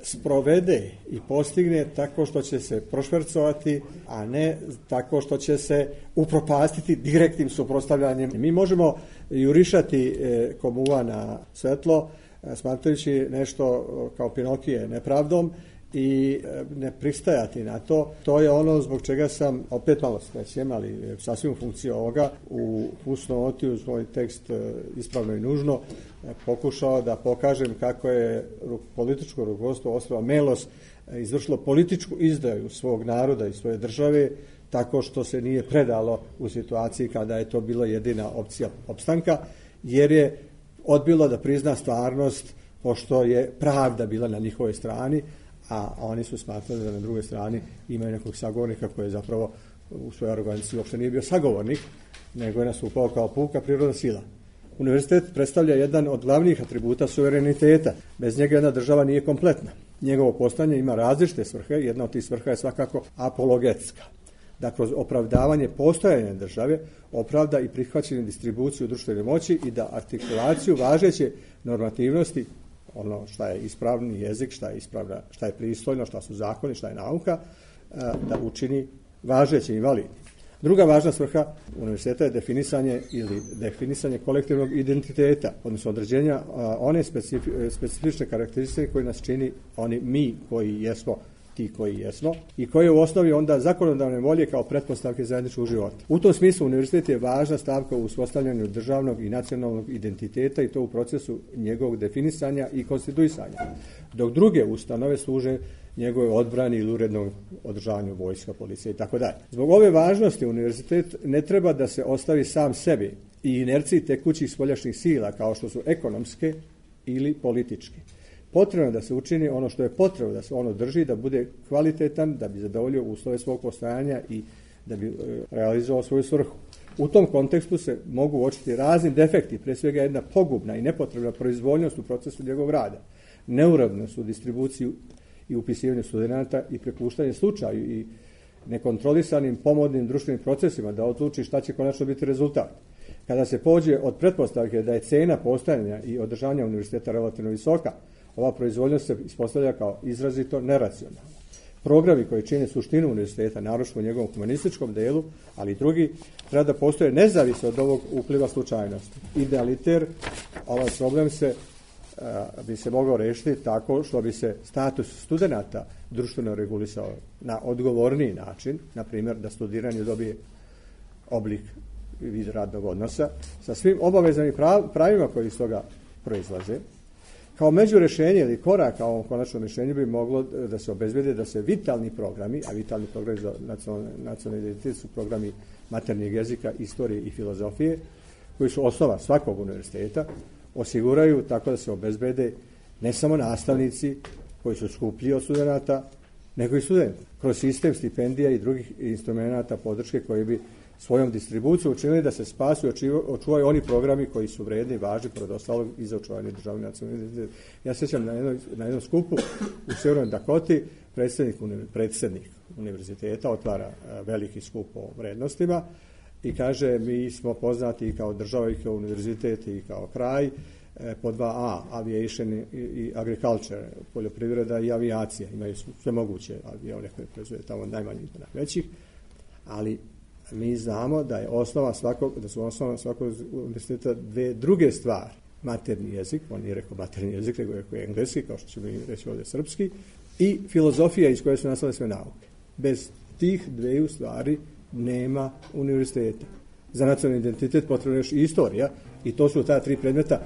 sprovede i postigne tako što će se prošvercovati, a ne tako što će se upropastiti direktnim suprotstavljanjem. Mi možemo jurišati e, komuva na svetlo, e, smatrajući nešto kao Pinokije nepravdom i e, ne pristajati na to. To je ono zbog čega sam, opet malo skrećem, ali sasvim u funkciji ovoga, u fusnoti uz moj tekst e, ispravno i nužno, e, pokušao da pokažem kako je političko rukovodstvo Oslova Melos e, izvršilo političku izdaju svog naroda i svoje države, tako što se nije predalo u situaciji kada je to bila jedina opcija opstanka, jer je odbilo da prizna stvarnost, pošto je pravda bila na njihovoj strani, a oni su smatrali da na drugoj strani imaju nekog sagovornika koji je zapravo u svojoj aroganciji uopšte nije bio sagovornik, nego je nastupao kao puka prirodna sila. Univerzitet predstavlja jedan od glavnih atributa suvereniteta. Bez njega jedna država nije kompletna. Njegovo postojanje ima različite svrhe, jedna od tih svrha je svakako apologetska. Da kroz opravdavanje postojanja države opravda i prihvaćanje distribuciju društvene moći i da artikulaciju važeće normativnosti, ono šta je ispravni jezik, šta je ispravna, šta je pristojno, šta su zakoni, šta je nauka, da učini važeće i validnim. Druga važna svrha univerziteta je definisanje ili definisanje kolektivnog identiteta, odnosno određenja one specifi, specifične karakteristike koje nas čini oni mi koji jesmo ti koji jesmo i koje u osnovi onda zakonodavne volje kao pretpostavke zajedničkog života. U tom smislu univerzitet je važna stavka u uspostavljanju državnog i nacionalnog identiteta i to u procesu njegovog definisanja i konstituisanja, dok druge ustanove služe njegove odbrani ili urednom održavanju vojska, policije i tako dalje. Zbog ove važnosti univerzitet ne treba da se ostavi sam sebi i inerciji tekućih spoljašnjih sila kao što su ekonomske ili političke. Potrebno je da se učini ono što je potrebno, da se ono drži, da bude kvalitetan, da bi zadovoljio uslove svog postojanja i da bi realizovao svoju svrhu. U tom kontekstu se mogu uočiti razni defekti, pre svega jedna pogubna i nepotrebna proizvoljnost u procesu njegovog rada, neurednost u distribuciji i upisivanju studenata i prepuštanje slučaju i nekontrolisanim pomodnim društvenim procesima da odluči šta će konačno biti rezultat. Kada se pođe od pretpostavke da je cena postojanja i održavanja univerziteta relativno visoka, ova proizvoljnost se ispostavlja kao izrazito neracionalna. Programi koji čine suštinu univerziteta, naročito u njegovom humanističkom delu, ali i drugi, treba da postoje nezavisno od ovog upliva slučajnosti. Idealiter, ovaj problem se a, bi se mogao rešiti tako što bi se status studenata društveno regulisao na odgovorniji način, na primjer da studiranje dobije oblik vid radnog odnosa, sa svim obavezama i pravima koji iz toga proizlaze. Kao međurešenje ili korak ka ovom konačnom rješenju bi moglo da se obezbedi da se vitalni programi, a vitalni programi za nacionalni, nacionalni identitet su programi maternjeg jezika, istorije i filozofije, koji su osnova svakog univerziteta, osiguraju tako da se obezbede ne samo nastavnici koji su skuplji od studenata, nego i studenti. Kroz sistem stipendija i drugih instrumenta podrške koji bi svojom distribucijom učinili da se spasu i očuvaju oni programi koji su vredni i važni pored ostalog i za očuvanje državne nacionalne identiteta. Ja sjećam na, jedno, na jednom skupu u Sjevernoj Dakoti predsjednik, predsjednik univerziteta otvara veliki skup o vrednostima i kaže mi smo poznati i kao država i kao univerzitet i kao kraj po dva A, aviation i, i agriculture, poljoprivreda i avijacija. Imaju sve moguće avione koje proizvode tamo najmanjih i najvećih, ali mi znamo da je osnova svakog, da su osnova svakog univerziteta dve druge stvari. Materni jezik, on nije rekao materni jezik, nego je rekao engleski, kao što ćemo reći ovdje srpski, i filozofija iz koje su nastale sve nauke. Bez tih dveju stvari nema univerziteta. Za nacionalni identitet potrebno je još i istorija i to su ta tri predmeta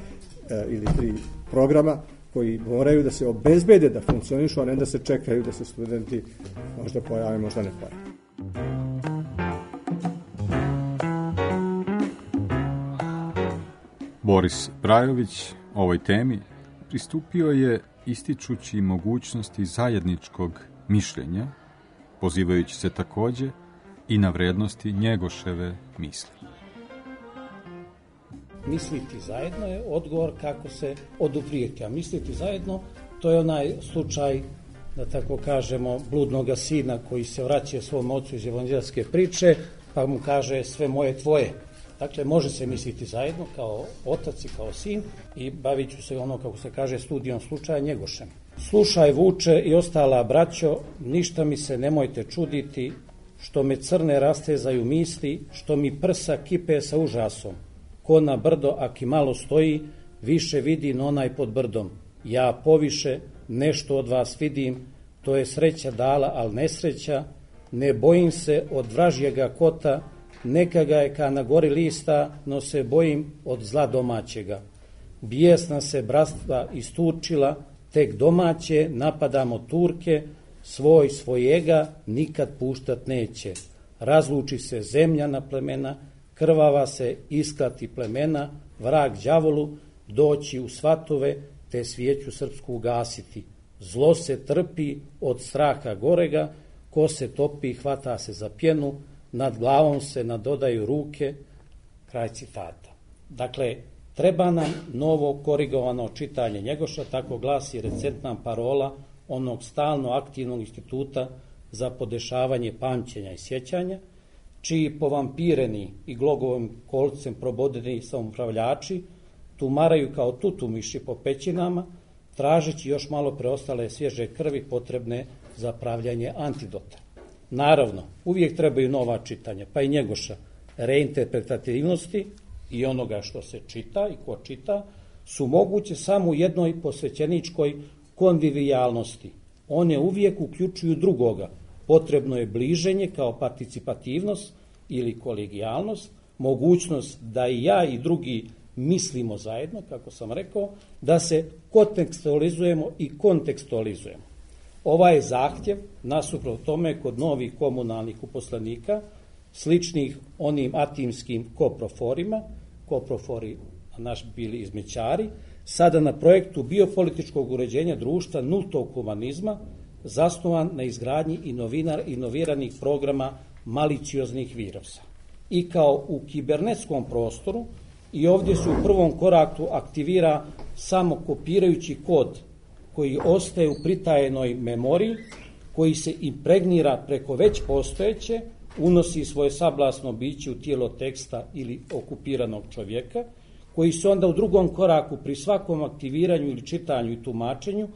e, ili tri programa koji moraju da se obezbede da funkcionišu, a ne da se čekaju da se studenti možda pojave, možda ne pojave. Boris Brajović ovoj temi pristupio je ističući mogućnosti zajedničkog mišljenja, pozivajući se također i na vrednosti Njegoševe misli. Misliti zajedno je odgovor kako se oduprijeti, a misliti zajedno to je onaj slučaj, da tako kažemo, bludnoga sina koji se vraća svom ocu iz evanđelske priče, pa mu kaže sve moje tvoje. Dakle, može se misliti zajedno kao otac i kao sin i bavit ću se ono, kako se kaže, studijom slučaja Njegošem. Slušaj, Vuče i ostala braćo, ništa mi se nemojte čuditi, što me crne rastezaju misli, što mi prsa kipe sa užasom. Ko na brdo, aki malo stoji, više vidi no onaj pod brdom. Ja poviše nešto od vas vidim, to je sreća dala, al nesreća, ne bojim se od vražjega kota, neka ga je ka na gori lista, no se bojim od zla domaćega. Bijesna se bratstva isturčila, tek domaće napadamo Turke, svoj svojega nikad puštat neće. Razluči se zemlja na plemena, krvava se isklati plemena, vrag đavolu doći u svatove, te svijeću srpsku ugasiti. Zlo se trpi od straha gorega, ko se topi hvata se za pjenu, nad glavom se nadodaju ruke. Kraj citata. Dakle, treba nam novo korigovano čitanje Njegoša, tako glasi recentna parola onog stalno aktivnog instituta za podešavanje pamćenja i sjećanja, čiji povampireni i glogovim kolcem probodeni samoupravljači tumaraju kao tutumiši po pećinama, tražeći još malo preostale svježe krvi potrebne za pravljanje antidota. Naravno, uvijek trebaju nova čitanja, pa i Njegoša, reinterpretativnosti i onoga što se čita i ko čita, su moguće samo u jednoj posvećeničkoj konvivijalnosti. One uvijek uključuju drugoga. Potrebno je bliženje kao participativnost ili kolegijalnost, mogućnost da i ja i drugi mislimo zajedno, kako sam rekao, da se kontekstualizujemo i kontekstualizujemo. Ovaj zahtjev, nasuprot tome, kod novih komunalnih uposlenika, sličnih onim atimskim koproforima, koprofori naš bili izmećari, sada na projektu biopolitičkog uređenja društva nultog humanizma, zasnovan na izgradnji inovinar, inoviranih programa malicioznih virusa. I kao u kibernetskom prostoru, i ovdje se u prvom koraku aktivira samo kopirajući kod koji ostaje u pritajenoj memoriji, koji se impregnira preko već postojeće, unosi svoje sablasno biće u tijelo teksta ili okupiranog čovjeka, koji se onda u drugom koraku pri svakom aktiviranju ili čitanju i tumačenju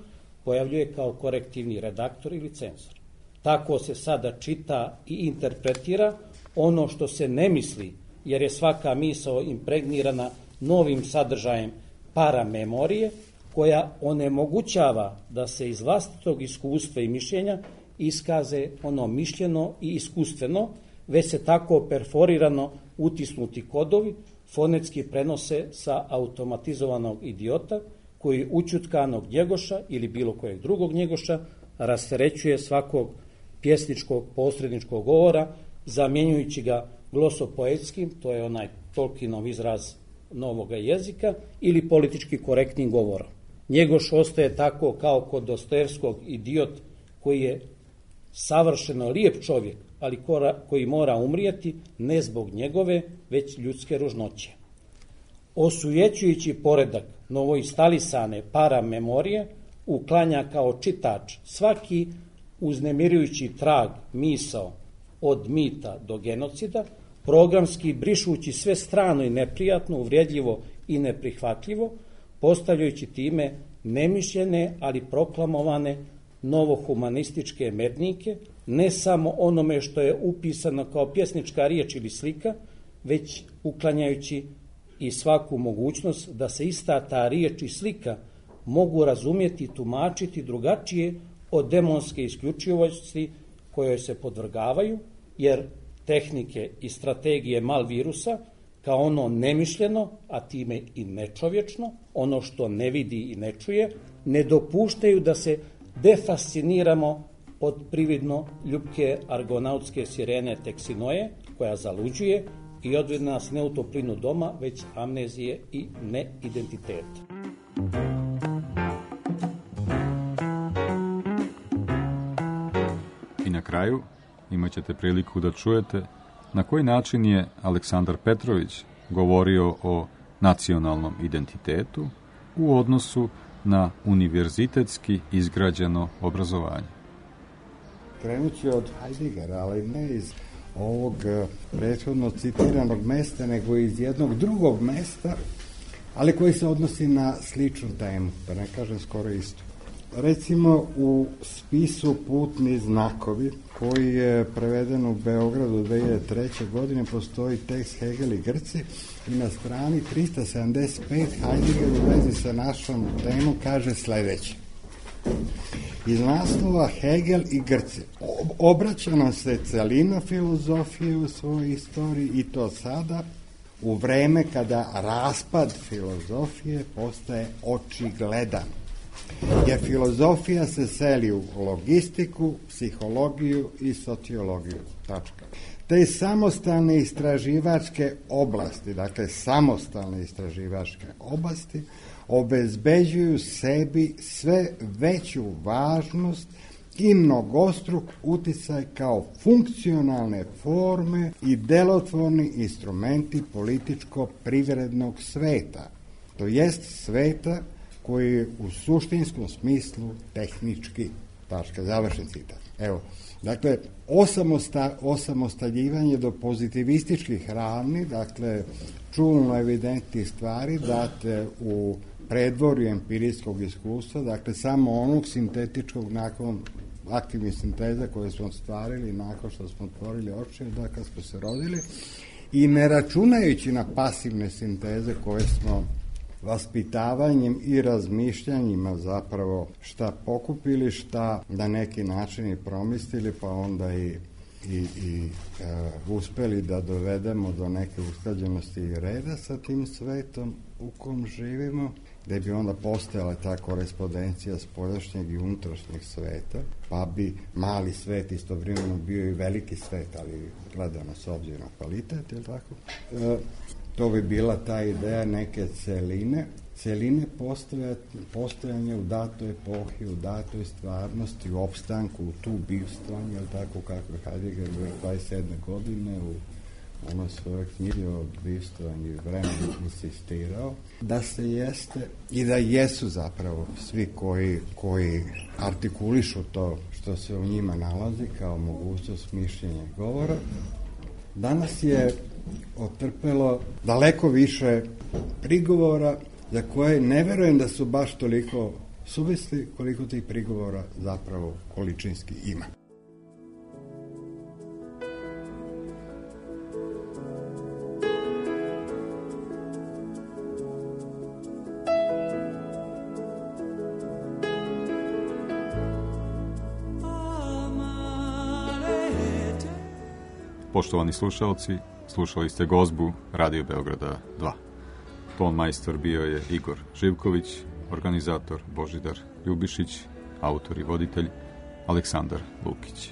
pojavljuje kao korektivni redaktor ili cenzor. Tako se sada čita i interpretira ono što se ne misli, jer je svaka misao impregnirana novim sadržajem paramemorije, koja onemogućava da se iz vlastitog iskustva i mišljenja iskaze ono mišljeno i iskustveno, već se tako perforirano utisnuti kodovi fonetski prenose sa automatizovanog idiota koji učutkanog Njegoša ili bilo kojeg drugog Njegoša rasterećuje svakog pjesničkog posredničkog govora, zamjenjujući ga glosopoetskim, to je onaj Tolkienov izraz novoga jezika, ili politički korektnim govorom. Njegoš ostaje tako kao kod Dostojevskog idiot koji je savršeno lijep čovjek, ali koji mora umrijeti ne zbog njegove, već ljudske ružnoće. Osujećujući poredak novoinstalisane paramemorije uklanja kao čitač svaki uznemirujući trag misao od mita do genocida, programski brišući sve strano i neprijatno, uvrijedljivo i neprihvatljivo, postavljajući time nemišljene, ali proklamovane novohumanističke mednike, ne samo onome što je upisano kao pjesnička riječ ili slika, već uklanjajući i svaku mogućnost da se ista ta riječ i slika mogu razumjeti i tumačiti drugačije od demonske isključivosti kojoj se podvrgavaju, jer tehnike i strategije malvirusa, kao ono nemišljeno, a time i nečovječno, ono što ne vidi i ne čuje, ne dopuštaju da se defasciniramo od prividno ljubke argonautske sirene Teksinoje, koja zaluđuje i odvede nas ne u toplinu doma, već amnezije i neidentiteta. I na kraju imat ćete priliku da čujete na koji način je Aleksandar Petrović govorio o nacionalnom identitetu u odnosu na univerzitetski izgrađeno obrazovanje. Krenut ću od Heideggera, ali ne iz ovog prethodno citiranog mesta, nego iz jednog drugog mesta, ali koji se odnosi na sličnu temu, da ne kažem skoro isto. Recimo u spisu Putni znakovi, koji je preveden u Beogradu dve hiljade treće. godine, postoji tekst Hegel i Grci i na strani trista sedamdeset pet Heidegger u vezi sa našom temom kaže sledeće. Iz naslova Hegel i Grci obraća nam se celina filozofije u svojoj istoriji i to sada u vreme kada raspad filozofije postaje očigledan. Jer filozofija se seli u logistiku, psihologiju i sociologiju. Tačka. Te samostalne istraživačke oblasti, dakle samostalne istraživačke oblasti, obezbeđuju sebi sve veću važnost i mnogostruk uticaj kao funkcionalne forme i delotvorni instrumenti političko-privrednog sveta, to jest sveta koji je u suštinskom smislu tehnički. Tačka, završen citat. Evo, dakle, osamosta, osamostaljivanje do pozitivističkih ravni, dakle, čulno evidentnih stvari date u predvorju empirijskog iskustva, dakle, samo onog sintetičkog nakon aktivnih sinteza koje smo stvarili nakon što smo otvorili oči, da kad smo se rodili, i ne računajući na pasivne sinteze koje smo vaspitavanjem i razmišljanjima zapravo šta pokupili, šta na neki način i promislili, pa onda i, i, i e, uspeli da dovedemo do neke usklađenosti i reda sa tim svetom u kom živimo, gde bi onda postojala ta korespondencija spoljašnjeg i unutrašnjeg sveta, pa bi mali svet istovremeno bio i veliki svet, ali gledano s obzirom na kvalitet, je li tako? E, To bi bila ta ideja neke celine, celine postojanja u datoj epohi, u datoj stvarnosti, u opstanku, u tu bivstvanju, ili tako kako je Heidegger dvadeset sedme. godine u onoj svojoj knjigi o bivstvanju i vremenu insistirao, da se jeste i da jesu zapravo svi koji, koji artikulišu to što se u njima nalazi kao mogućnost mišljenja i govora. Danas je otrpelo daleko više prigovora za koje ne verujem da su baš toliko suvisli koliko tih prigovora zapravo količinski ima. Poštovani slušalci, slušali ste gozbu Radio Beograda dva. Ton majstor bio je Igor Živković, organizator Božidar Ljubišić, autor i voditelj Aleksandar Lukić.